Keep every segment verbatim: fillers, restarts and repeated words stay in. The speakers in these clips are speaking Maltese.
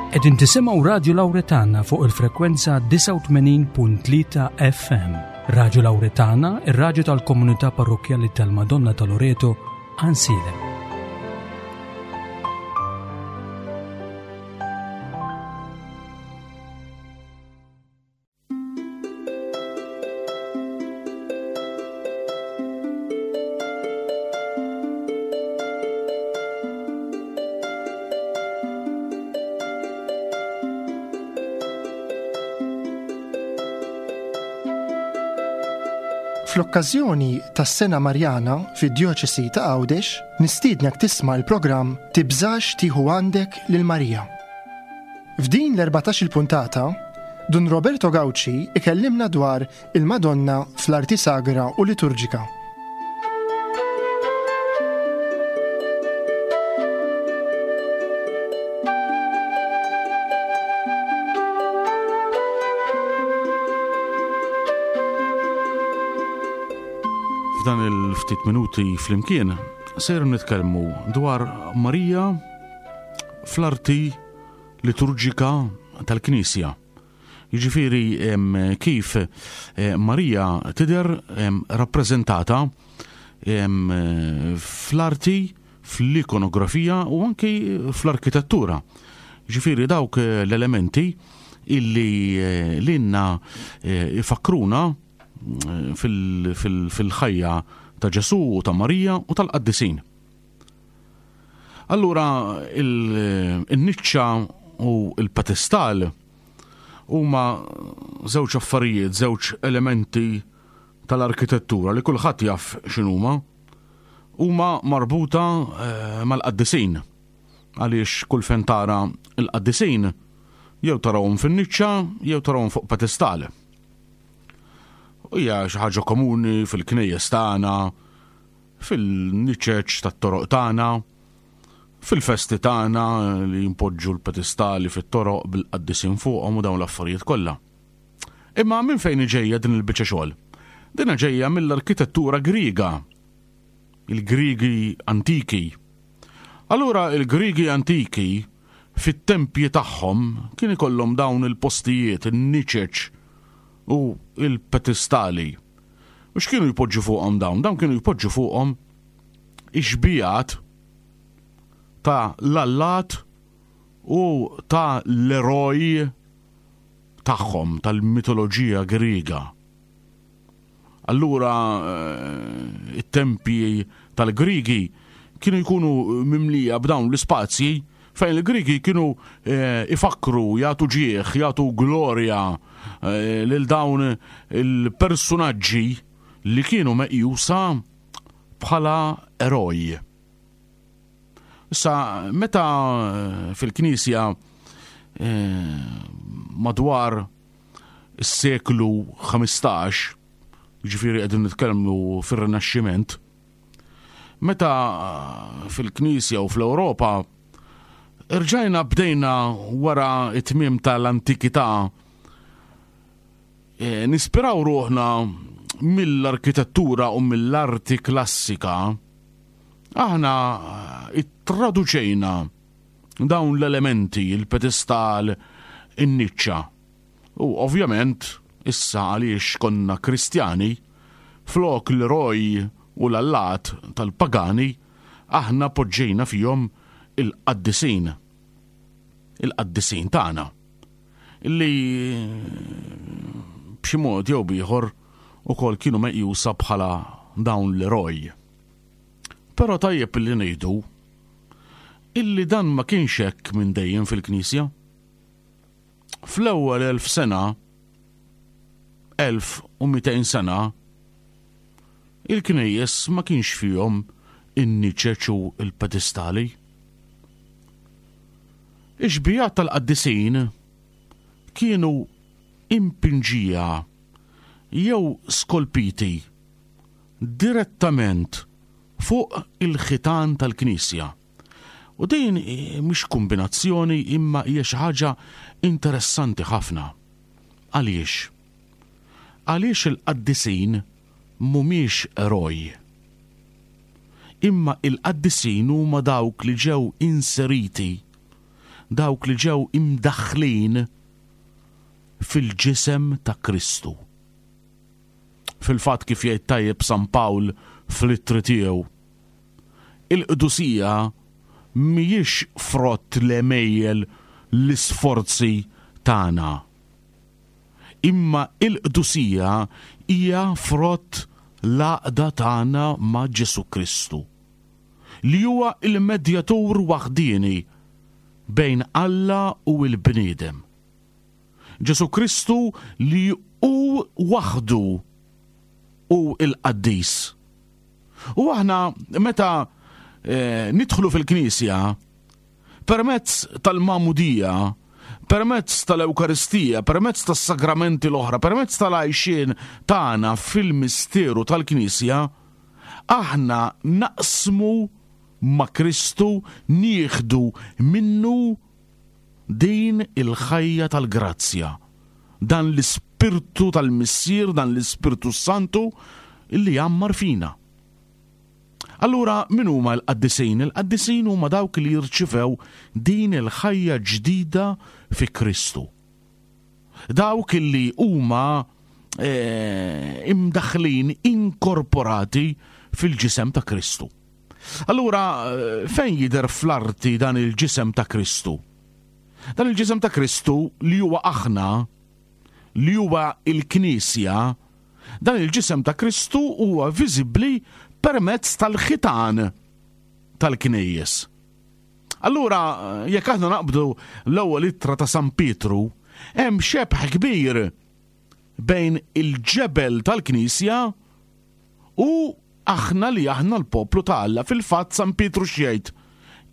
Qegħdin tisimgħu Radju Lawretana fuq il-frekwenza disgħa u tmenin punt tlieta F M. Radju Lawretana, ir-radju tal-Komunità Parrokkjali tal-Madonna ta' Loreto, Għajnsielem. Fl-okkażjoni tas-Sena Marjana fid-Djoċesi ta' Għawdex, nistiednek tisma' l-programm Tibżax tieħu għandek lil Marija. F'din l-erbatax il-puntata, Dun Roberto Gauci ikellimna dwar il-Madonna fl-arti sagra u liturġika. F'dan il-ftit minuti flimkien ser nitkellmu dwar Marija fl-arti liturġika tal-Knisja. Jiġifieri em, kif eh, Marija tidher em, rappreżentata em, fl-arti, fl-ikonografija u anki fl-arkitettura. Jiġifieri dawk eh, l-elementi illi eh, lilna eh, ifakruna fil- fil- fil-ħajja ta' Ġesu u ta' Marija u tal-qaddisin. Allura il-niċċa u il-pedestal huma żewġ affarijiet, żewġ elementi tal-arkitettura li kulħadd jaf x'inhuma, huma marbuta eh, mal-qaddisin. Għaliex kull fejn tara il-qaddisin jew tarawhom fin-niċċa jew tarawhom fuq pedestal. U hija xi ħaġa komuni fil-knejjes tagħna, fil-niċeċ tat-toroq tagħna, fil-festi tagħna li jimpoġġu l-pedestali fit-toroq bil-qaddisin fuqhom u dawn l-affarijiet kollha. Imma minn fejn ġejja din il-biċċa xogħol? Dina ġejja mill-arkitettura Griega, il-Grigi antiki. Allura il-Grigi antiki fit-tempji tagħhom kien ikollhom dawn il-postijiet, in-niċeċ u il-pedestali. U x'kienu jpoġġu fuqhom dawn? Dawn kienu jpoġġu fuqhom ix-xbihat ta' l-allat u ta' l-eroj tagħhom tal-mitoloġija Griega. Allura eh, it-tempji tal-Grigi kienu jkunu mimlija b'dawn l-ispazji fejn il-Grigi kienu eh, ifakru, jagħtu ġieħ, jagħtu glorja eh, lil dawn il-personaġġi li kienu meqjusa bħala eroj. Issa, meta eh, fil-Knisja madwar is-seklu ħmistax, ġifieri qegħdin nitkellmu fir-Rinaxximent, meta fil-Knisja u fl-Ewropa irġajna bdejna wara it-tmiem tal-antikità e, nispiraw ruħna mill-arkitettura u mill-arti klassika, aħna ittraduċejna dawn l-elementi, il-pedestal, in-niċċa. U ovvjament, issa għaliex konna Kristjani, flok l-eroj u l-allat tal-pagani, aħna poġġejna fihom il-qaddisin. Il-qaddisin tagħna. Illi b'xi mod jew b'ieħor ukoll kienu meqjusa bħala dawn l-eroj. Però tajjeb li ngħidu illi dan ma kienx hekk minn dejjem fil-Knisja. Fl-ewwel elf sena, elf u mitejn sena, il-knejjes ma kienx fihom in-niċeċ u il-pedestali. Ix-xbihat tal-qaddisin kienu impinġija jew skolpiti direttament fuq il-ħitan tal-Knisja. U din mhix kombinazzjoni imma hija xi ħaġa interessanti ħafna. Għaliex? Għaliex il-qaddisin mhumiex eroj? Imma il-qaddisin huma dawk li ġew inseriti Dawk li ġew imdaħħlin fil-ġisem ta' Kristu. Fil-fatt, kif jgħid tajjeb San Pawl fl-ittri tiegħu, il-qdusija mhijiex frott l-għemejjel, l-isforzi tagħna. Imma il-qdusija hija frott l-għaqda tagħna ma' Ġesu Kristu, li huwa il-medjatur waħdieni bejn Alla u l-bniedem. Ġesu Kristu li hu waħdu hu il-qaddis. U aħna meta eh, nidħlu fil-Knisja permezz tal-Magħmudija, permezz tal-Ewkaristija, permezz tas-sagramenti l-oħra, permezz tal-għajxien tagħna fil-misteru tal-Knisja, aħna naqsmu ma' Kristu, nieħdu minnu din il-ħajja tal-grazzja, dan l-ispirtu tal-Missier, dan l-Ispirtu Santu illi jgħammar fina. Allura, min huma l-qaddisin? Il-qaddisin huma dawk li jirċivew din il-ħajja ġdida fi Kristu. Dawk li huma eh, imdaħlin, inkorporati fil-ġisem ta' Kristu. Allura, eh, fejn jidher fl-arti dan il-ġisem ta' Kristu? Dan il-ġisem ta' Kristu li huwa aħna, li huwa il-Knisja, dan il-ġisem ta' Kristu huwa viżibbli permezz tal-ħitan tal-knejjes. Allura, jekk aħna naqbdu l-ewwel ittra ta' San Pietru, hemm xebħ kbir bejn il-ġebel tal-Knisja u aħna li aħna l-poplu ta' Alla. Fil-fatt, San Pietru x'jgħid?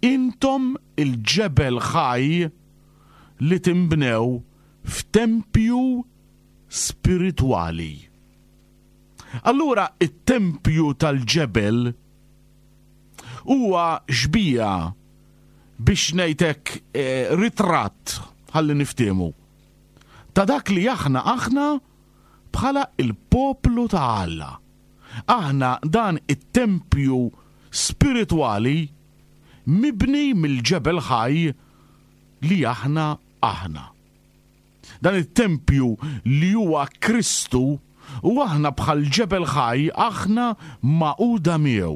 "Intom il-ġebel ħaj li timbnew f'tempju spiritwali." Allura, it-tempju tal-ġebel huwa xbija, biex ngħidlek, eh, ritratt, ħalli niftiemu, ta' dak li aħna aħna bħala il-poplu ta' Alla. Aħna dan it-tempju spiritwali mibni mill-ġebel ħaj li aħna aħna. Dan it-tempju li huwa Kristu u aħna bħal ġebel ħaj aħna magħquda miegħu.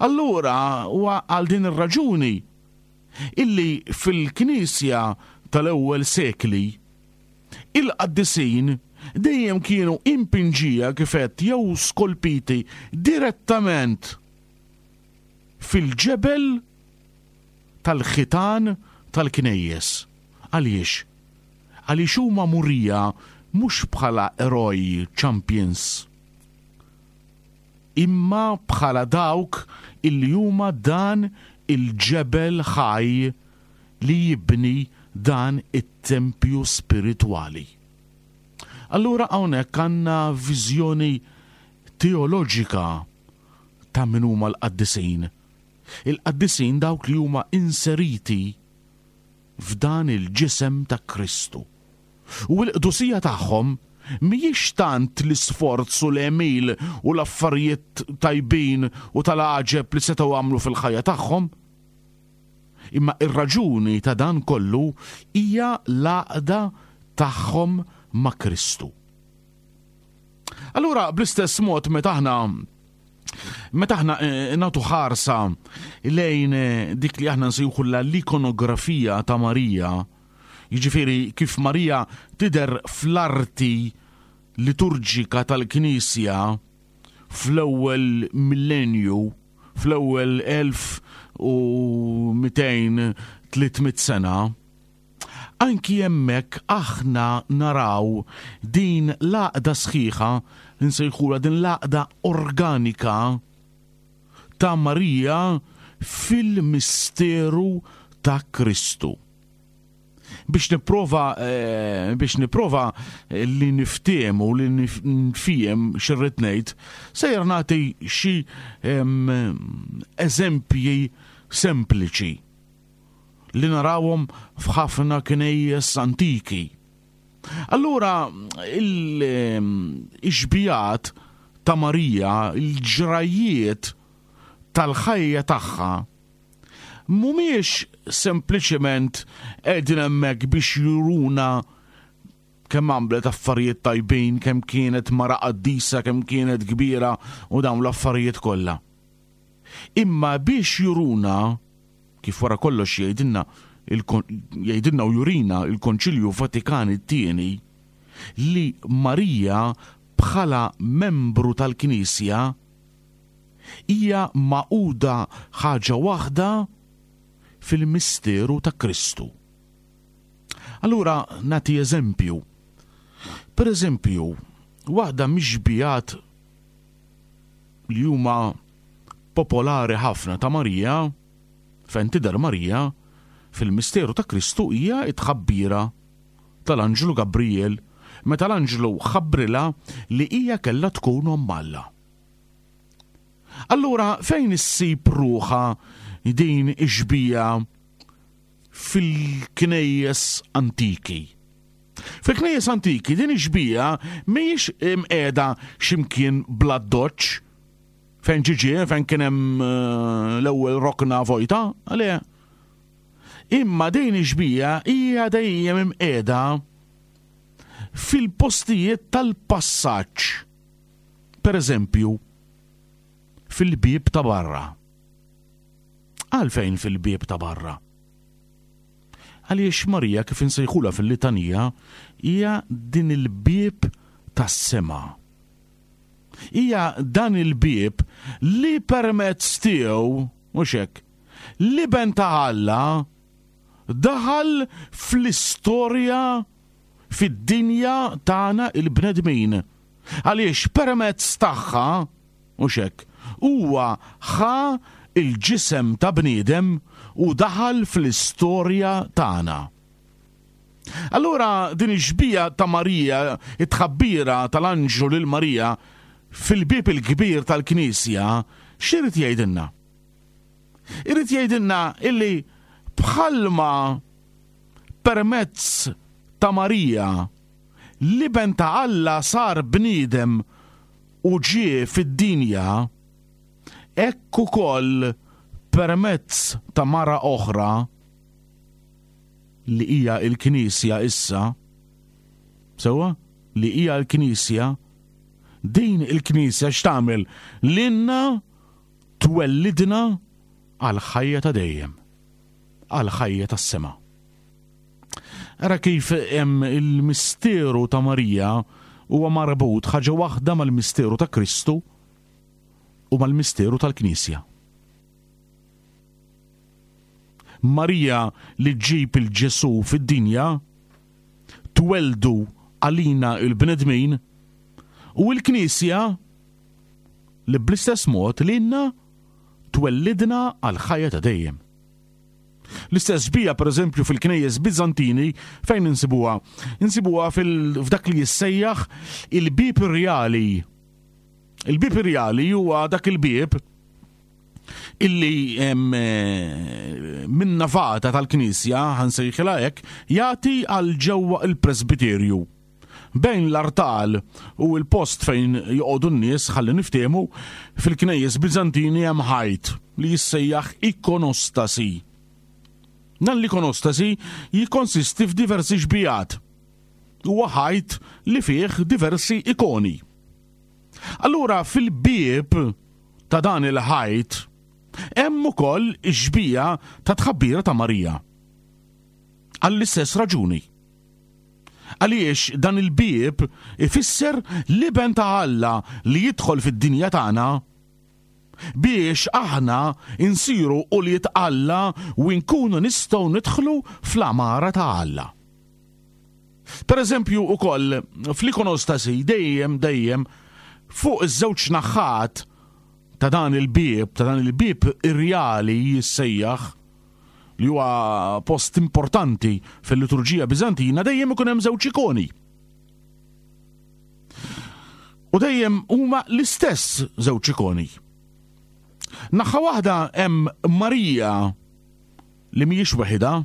Allura, huwa għal din ir-raġuni illi fil-Knisja tal-ewwel sekli il-qaddisin dejjem kienu impinġija, kif għedt, jew skolpiti direttament fil-ġebel tal-ħitan tal-knejjes. Għaliex? Għaliex huma murija mhux bħala eroj, champions, imma bħala dawk illi huma dan il-ġebel ħaj li jibni dan it-tempju spiritwali. Allura, hawnhekk għandna viżjoni teoloġika ta' min huma l-qaddisin. Il-qaddisin dawk li huma inseriti f'dan il-ġisem ta' Kristu. U l-qdusija tagħhom mhijiex tant l-isforz u l-għemil u l-affarijiet tajbin u tal-għaġeb li setgħu għamlu fil-ħajja tagħhom. Imma ir-raġuni ta' dan kollu hija l-għaqda tagħhom ma' Kristu. Allura, bl-istess mod, meta aħna Meta aħna eh, nagħtu ħarsa lejn eh, dik li aħna nsejħu l-ikonografija ta' Marija, jiġifieri kif Marija tidher fl-arti liturġika tal-Knisja fl-ewwel millenju, fl-ewwel elf u mitejn, tliet mitt sena, anki hemmhekk aħna naraw din l-għaqda sħiħa, nsejħula din l-għaqda organika ta' Marija fil-misteru ta' Kristu. Biex nipprova eh, biex nipprova li niftiemu, li nifhem x'irrid ngħid, sejjer nagħti xi eżempji sempliċi li narawhom f'ħafna knejjes antiki. Allura, il-xbihat ta' Marija, il-ġrajiet tal-ħajja tagħha, mhumiex sempliċement qegħdin hemmhekk biex juruna kemm għamlet affarijiet tajbin, kemm kienet mara qaddisa, kemm kienet kbira u dawn l-affarijiet kollha. Imma biex juruna, kif wara kollox jgħidilna jgħidilna u jurina il-Konċilju Vatikan it-tieni, li Marija bħala membru tal-Knisja hija magħquda ħaġa waħda fil-misteru ta' Kristu. Allura nagħti eżempju. Per eżempju, waħda mix-xbihat li huma popolari ħafna ta' Marija, fejn tidher Marija fil-misteru ta' Kristu, hija t-tħabbira tal-Anġlu Gabriel meta l-Anġlu ħabbrilha li hija kellha tkun omm Alla. Allura fejn issib ruħha din ix-xbija fil-knejjes antiki? Fil-knejjes antiki din ix-xbija mhijiex imqiegħda x'imkien bla doċċ fejn ġiġi, fejn kien hemm l-ewwel rokna vojta, għalija. Imma din ix-xbija hija dejjem imqiegħda fil-postijiet tal-passaġġ. Per eżempju, fil-bieb ta' barra. Għalfejn fil-bieb ta' barra? Għaliex Marija, kif insejħula fil-litanija, hija din il-bieb tas-sema. Hija dan il-bieb li permezz tiegħu, mhux hekk, l-Iben ta' Alla daħal fl-istorja fid-dinja tagħna il-bnedmin. Għaliex permezz tagħha, mhux hekk, huwa ħa il-ġisem ta' bniedem u daħal fl-istorja tagħna. Allura din ix-xbija ta' Marija, it-tħabbira tal-Anġlu lil Marija fil-bieb il-kbir tal-Knisja, x'irid jgħidilna? Irid jgħidilna illi bħalma permezz ta' Marija l-Iben ta' Alla sar bniedem u ġie fid-dinja, hekk ukoll permezz ta' mara oħra li hija l-Knisja issa, sewwa, li hija l-Knisja, din il-Knisja x'tagħmel? Lilna twellidna għal ħajja ta' dejjem, għal ħajja tas-sema. Ara kif hemm il-misteru ta' Marija huwa marbut ħaġa waħda mal-misteru ta' Kristu u mal-misteru tal-Knisja. Marija li ġġib il-Ġesu fid-dinja tweldu għalina il-bnedmin, u l-Knisja li bl-istess mod lilna twellidna għal ħajja ta' dejjem. L-istess bija, per eżempju, fil-knejjes Bizantini, fejn insibuha? Insibuha f'dak li jissejjaħ il-bieb irjali. Il-bieb irjali huwa dak il-bieb illi minn navata tal-knisja, ħansejħilha hekk, jagħti għal ġewwa il-presbiterju. Bejn l-artal u l-post fejn joqogħdu n-nies, ħalli niftehmu, fil-knejjes Bizantini hemm ħajt li jissejjaħ ikonostasi. Dan l-ikonostasi jikkonsisti f'diversi xbijat. Huwa ħajt li fih diversi ikoni. Allura fil-bieb ta' dan il-ħajt hemm ukoll ix-xbija ta' tħabbira ta' Marija. Għall-istess raġuni. Għaliex dan il-bieb ifisser l-Iben ta' Alla li jidħol fid-dinja tagħna biex aħna insiru ulied Alla u nkunu nistgħu nidħlu fl-għamara ta' Alla. Per eżempju ukoll fl-ikonostasi dejjem dejjem fuq iż-żewġ naħat ta' dan il-bieb, ta' dan il-bieb irjali jissejjaħ, li huwa post importanti fil-liturġija Bizantina, dejjem ikun hemm żewġ ikoni. U dejjem huma l-istess żewġ ikoni. Naħa waħda hemm Marija li mhijiex waħedha,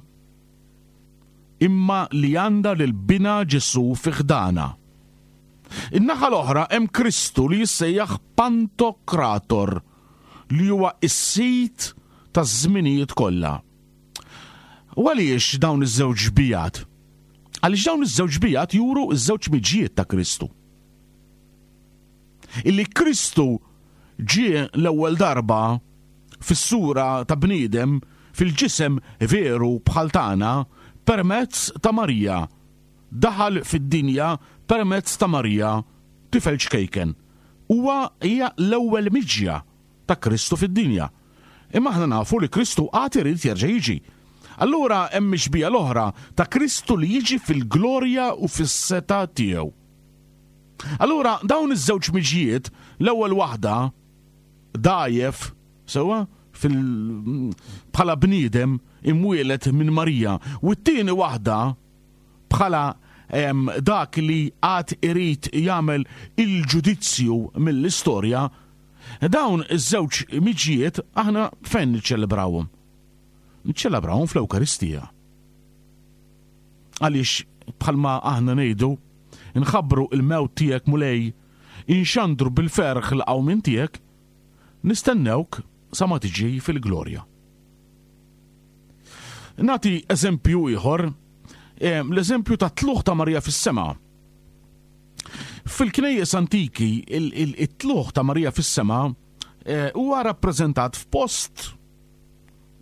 imma li għandha lil binha Ġesu fi ħdana. In-naħa l-oħra hemm Kristu li jissejjaħ Pantokrator, li huwa s-sit taż-żminijiet kollha. U għaliex dawn iż-żewġ xbijat? Għaliex dawn iż-żewġ xbijat juru ż-żewġ miġjiet ta' Kristu. Illi Kristu ġie l-ewwel darba fis-sura ta' bniedem fil-ġisem veru bħal tagħna permezz ta' Marija. Daħal fid-dinja permezz ta' Marija, tifel ċkejken. Huwa hija l-ewwel miġja ta' Kristu fid-dinja. Imma aħna nafu li Kristu għad irid jerġa' jiġi. Allura hemm xbija l-oħra ta' Kristu li jiġi fil-glorja u fis-setgħa tiegħu. Allura dawn iż-żewġ miġjiet, l-ewwel waħda dgħajjef sewwa fil bħala bniedem imwielet minn Marija, u t-tieni waħda bħala dak li għad irid jagħmel il-ġudizzju mill-istorja, dawn iż-żewġ miġjiet aħna fejn niċċelebrawhom? Niċċelebrawhom fl-Ewkaristija. Għaliex bħalma aħna ngħidu, nħabbru il-mewt tiegħek Mulej, inxandru bil-ferħ l-qawmien tiegħek, nistennewk sa ma tiġi fil-glorja. Nati eżempju ieħor, l-eżempju ta' tlugħ ta' Marija fis-sema. Fil-knejjes antiki, it-tlugħ ta' Marija fis-sema huwa rappreżentat f'post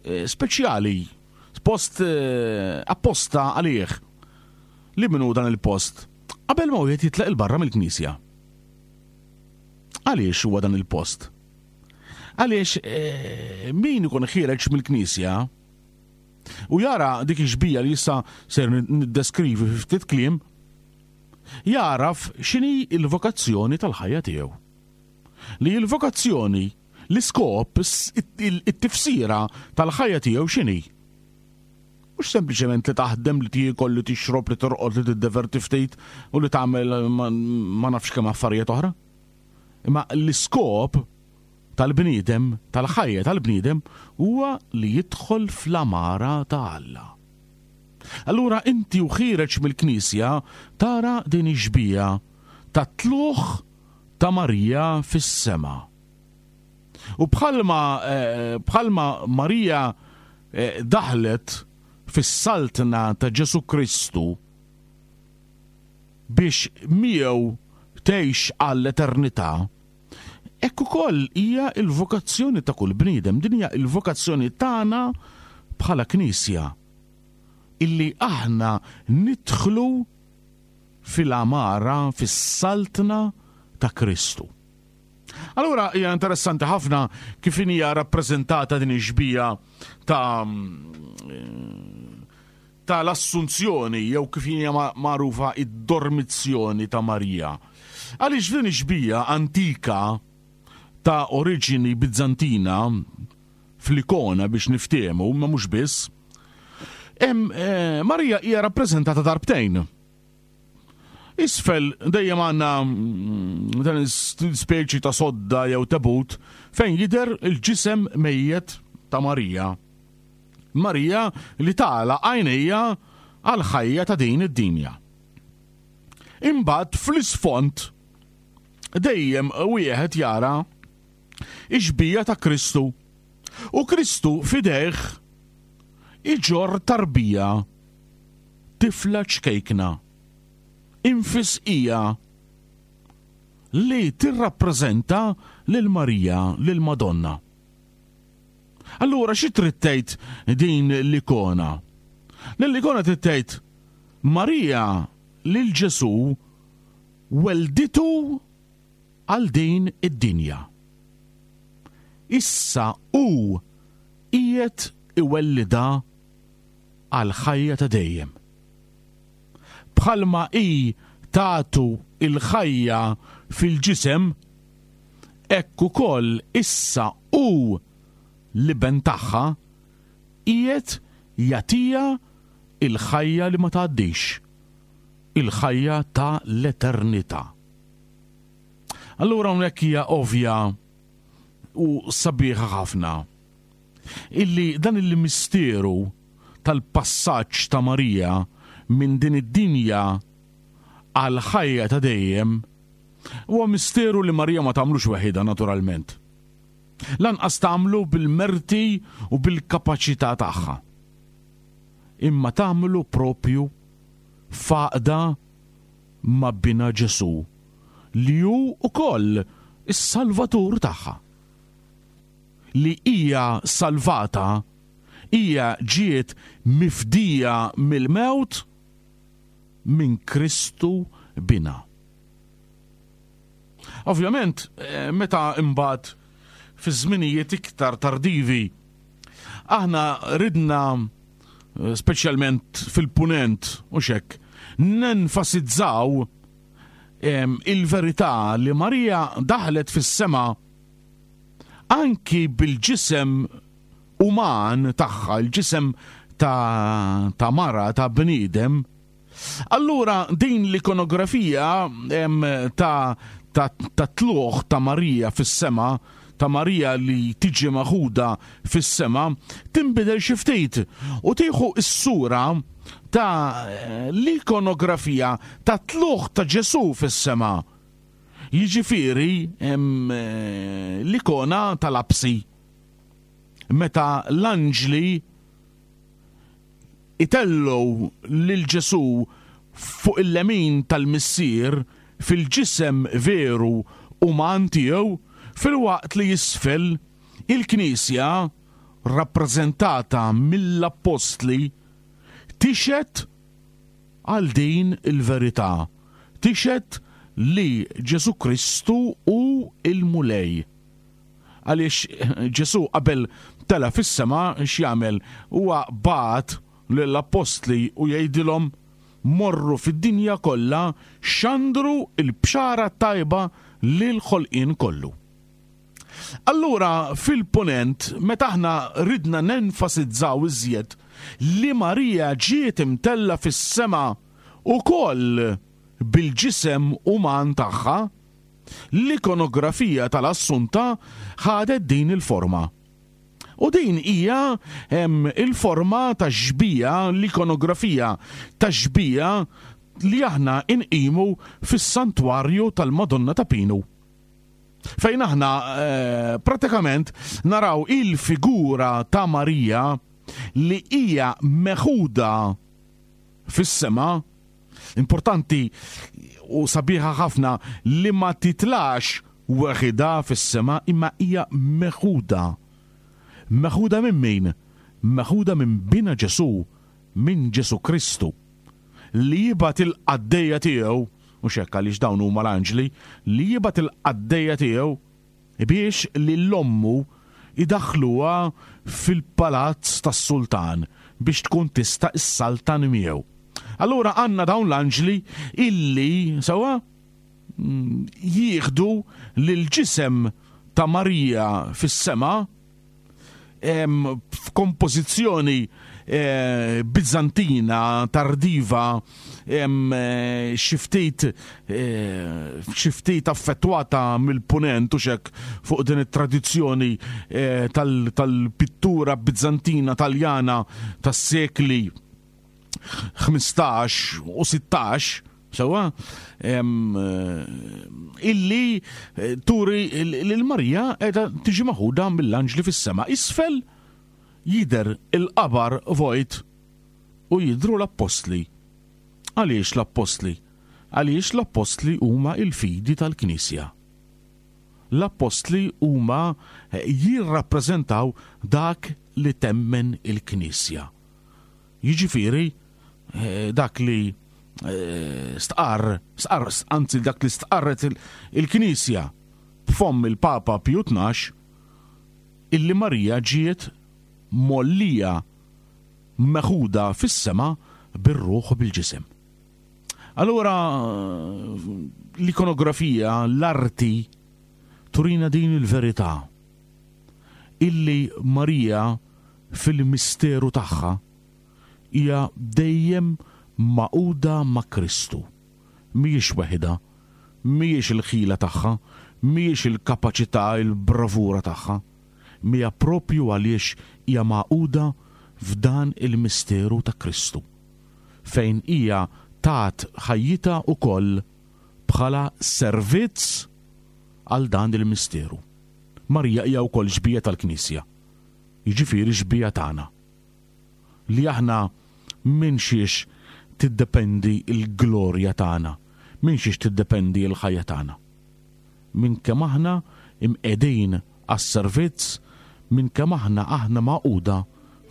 speċjali, post apposta għalih. Li minnu dan il-post? Qabel ma wieħed jitlaq il-barra mill-knisja. Għaliex huwa dan il-post? Għaliex min ikun ħiereġ mill-knisja u jara dik ix-xbija li issa ser niddeskrivi fi ftit kliem, jaraf x'inhi l-vokazzjoni tal-ħajja tiegħu. Li l-vokazzjoni, l-iskop, it-tifsira tal-ħajja tiegħu x'inhi? Mhux sempliċement li taħdem, li tiekol, li tixrob, li torqod, li tiddeverti ftit u li tagħmel ma nafx kemm affarijiet oħra. Imma l-iskop tal-bniedem, tal-ħajja tal-bniedem, huwa li jidħol fl-amara ta' Alla. Allura inti u ħiereġ mill-knisja tara din ix-xbija ta' tlugħ ta' Marija fis-sema. U bħalma bħalma Marija daħlet fis-saltna ta' Ġesu Kristu biex miegħu tgħix għall-eternità, hekk ukoll hija l-vokazzjoni ta' kull bniedem, din hija l-vokazzjoni tagħna bħala knisja, illi aħna nidħlu fil-amara, fis-saltna ta' Kristu. Allura hija interessanti ħafna kif hija rappreżentata din ix-xbija ta' tal-Assunzjoni, jew kif hija magħrufa id-dormizzjoni ta' Marija. Għaliex din ix-xbija antika ta' oriġini Bizzantina fl-ikona biex niftehmu, ma mhux biss, hemm Marija hija rappreżentata darbtejn. Isfel dejjem għandna dan speċi ta' sodda jew tabut fejn jidher il-ġisem mejjet ta' Marija. Marija li tagħlaq għajnejha għal ħajja ta' din id-dinja. Imbagħad fl-isfond dejjem wieħed jara ix-xbija ta' Kristu. U Kristu f'idejh iġorr tarbija, tifla ċkejkna, infisqija, li tirrappreżenta lil Marija, lil Madonna. Allura xi trid tgħid din l-ikona? L-ikona trid tgħid Marija lil Ġesu welditu għal din id-dinja. Issa hu qiegħed iwellida għal ħajja ta' dejjem. Bħalma hi tagħtu il-ħajja fil-ġisem, hekk ukoll issa hu l-iben tagħha qiegħed jagħtiha il-ħajja li ma tgħaddix, il-ħajja ta' l-eternità. Allura hawnhekk hija ovvja u sabiħa ħafna illi dan il-misteru tal-passaġġ ta' Marija minn din id-dinja għal ħajja ta' dejjem huwa misteru li Marija ma tagħmlux waħedha naturalment. Lanqas tagħmlu bil-merti u bil-kapaċità tagħha. Imma tagħmlu propju f'għaqda ma' bina Ġesù, li hu wkoll is-Salvatur tagħha. Li hija salvata, hija ġiet mifdija mill-mewt minn Kristu bina. Ovvjament, eh, meta imbagħad fi żminijiet iktar tardivi, aħna ridna, eh, speċjalment fil-punent u xek, nenfasizzaw em, il-verità li Marija daħlet fis-sema anki bil-ġisem uman tagħha, il-ġisem ta', ta' mara, ta' bniedem. Allura din l-ikonografija em, ta', ta, ta' tluħ ta' Marija fis-sema, ta' Marija li tiġi maħuda fis-sema, tinbidel xi ftit u tieħu s-sura ta' l-ikonografija ta' tluħ ta' Ġesù fis-sema. Jiġifieri em, l-ikona tal-apsi. Meta l-anġli itellgħu lil Ġesù fuq il-lemin tal-Missier fil-ġisem veru uman tiegħu, filwaqt li jisfel il-Knisja rappreżentata mill-Appostli tixhed għal din il-verità, tixhed li Ġesù Kristu hu il-Mulej. Għaliex Ġesù qabel tela fis-sema x'jagħmel? Huwa bagħat lill-Appostli u jgħidilhom morru fid-dinja kollha xandru il-bxara tajba lil ħolqien kollu. Allura fil-punent, meta aħna ridna nenfasizzaw iżjed li Marija ġiet imtella fis-sema ukoll bil-ġisem uman tagħha, l-ikonografija tal-Assunta ħadet din il-forma. U din hija em, il-forma ta' xbija, l-ikonografija ta' xbija li aħna inqimu fis-santwarju tal-Madonna ta' Pinu. Fejn aħna eh, pratikament naraw il-figura ta' Marija li hija meħuda fis-sema. Importanti u sabiħa ħafna li ma titlax weħida fis-sema, imma hija meħuda. Meħuda minn min? Meħuda minn bina Ġesù, minn Ġesù Kristu, li jibgħat il-qaddejja tiegħu, u xekk għaliex dawn huma l-anġli, li jibgħat il-qaddejja tiegħu biex lil ommu idaħħluha fil-palazz tas-sultan biex tkun tista' issaltan miegħu. Allura għandna dawn l-anġli illi sewwa jieħdu lil ġisem ta' Marija fis-sema f'kompożizzjoni eh, Bizantina tardiva, eh, xi ftit eh, xi ftit affettwata mill-punent u xek fuq din it-tradizzjoni tal-pittura Bizantina Taljana tas-sekli ħmistax u sittax, sewwa, illi turi lil Marija qiegħda tiġi maħuda mill-anġli fis-sema. Isfel jidher il-qabar vojt u jidhru l-appostli. Għaliex l-appostli? Għaliex l-appostli huma il-fidi tal-Knisja. L-appostli huma jirrappreżentaw dak li temmen il-Knisja. Jiġifieri dak li stqarr, stqarr, anzi dak li stqarret il-Knisja b'fomm il-Papa Piju tnax, illi Marija ġiet mollija meħuda fis-sema bir-ruħ u bil-ġisem. Allura l-ikonografija, l-arti turina din il-verità illi Marija fil-misteru tagħha hija dejjem maquda ma' Kristu. Mhijiex weħida, mhijiex il-ħila tagħha, mhijiex il-kapaċità, il-bravura tagħha, mija propju għaliex hija maquda f'dan il-misteru ta' Kristu, fejn hija tat ħajjitha ukoll bħala servizz għal dan il-misteru. Marija hija wkoll xbieha tal-Knisja. Jiġifieri xbieha tagħna. Li aħna minn xiex tiddependi l-glorja tagħna, minn xiex tiddependi l-ħajja tagħna. Minn kemm aħna imqegħdin għas-servizz, minn kemm aħna aħna magħquda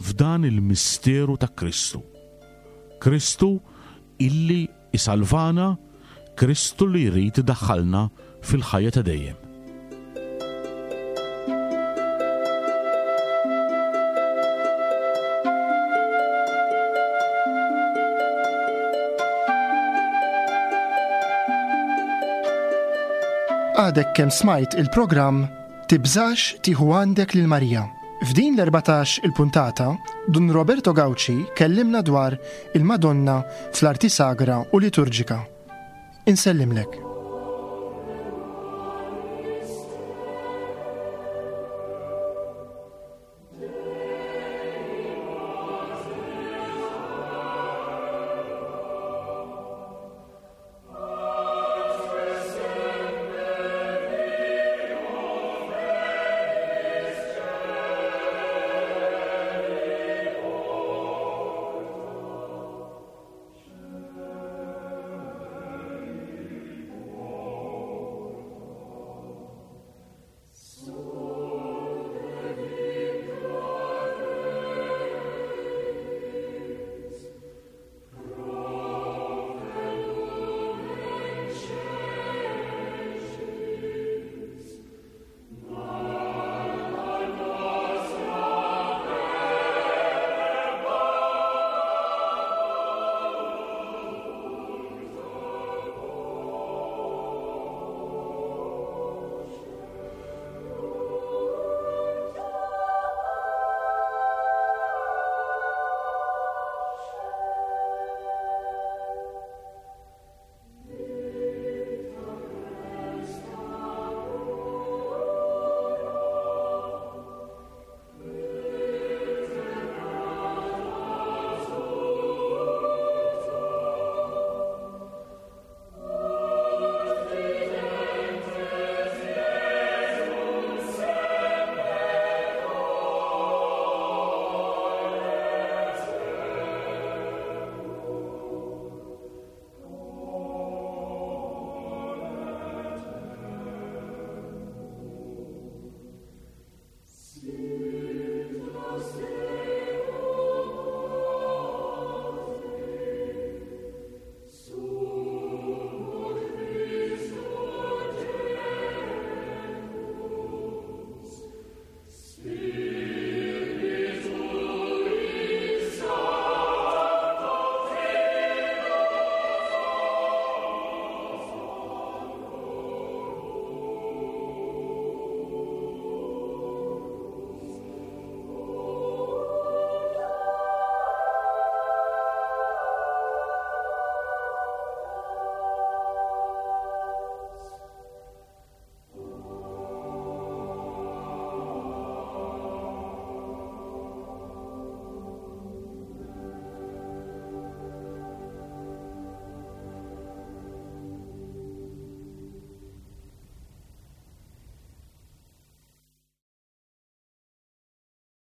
f'dan il-misteru ta' Kristu. Kristu illi isalvana, Kristu li jrid idaħħalna fil-ħajja ta' dejjem. Għadek kemm smajt il-programm Tibżax tieħu għandek lil Marija. F'din l-erbatax il-puntata, Dun Roberto Gauci kellimna dwar il-Madonna fl-arti sagra u liturġika. Insellimlek.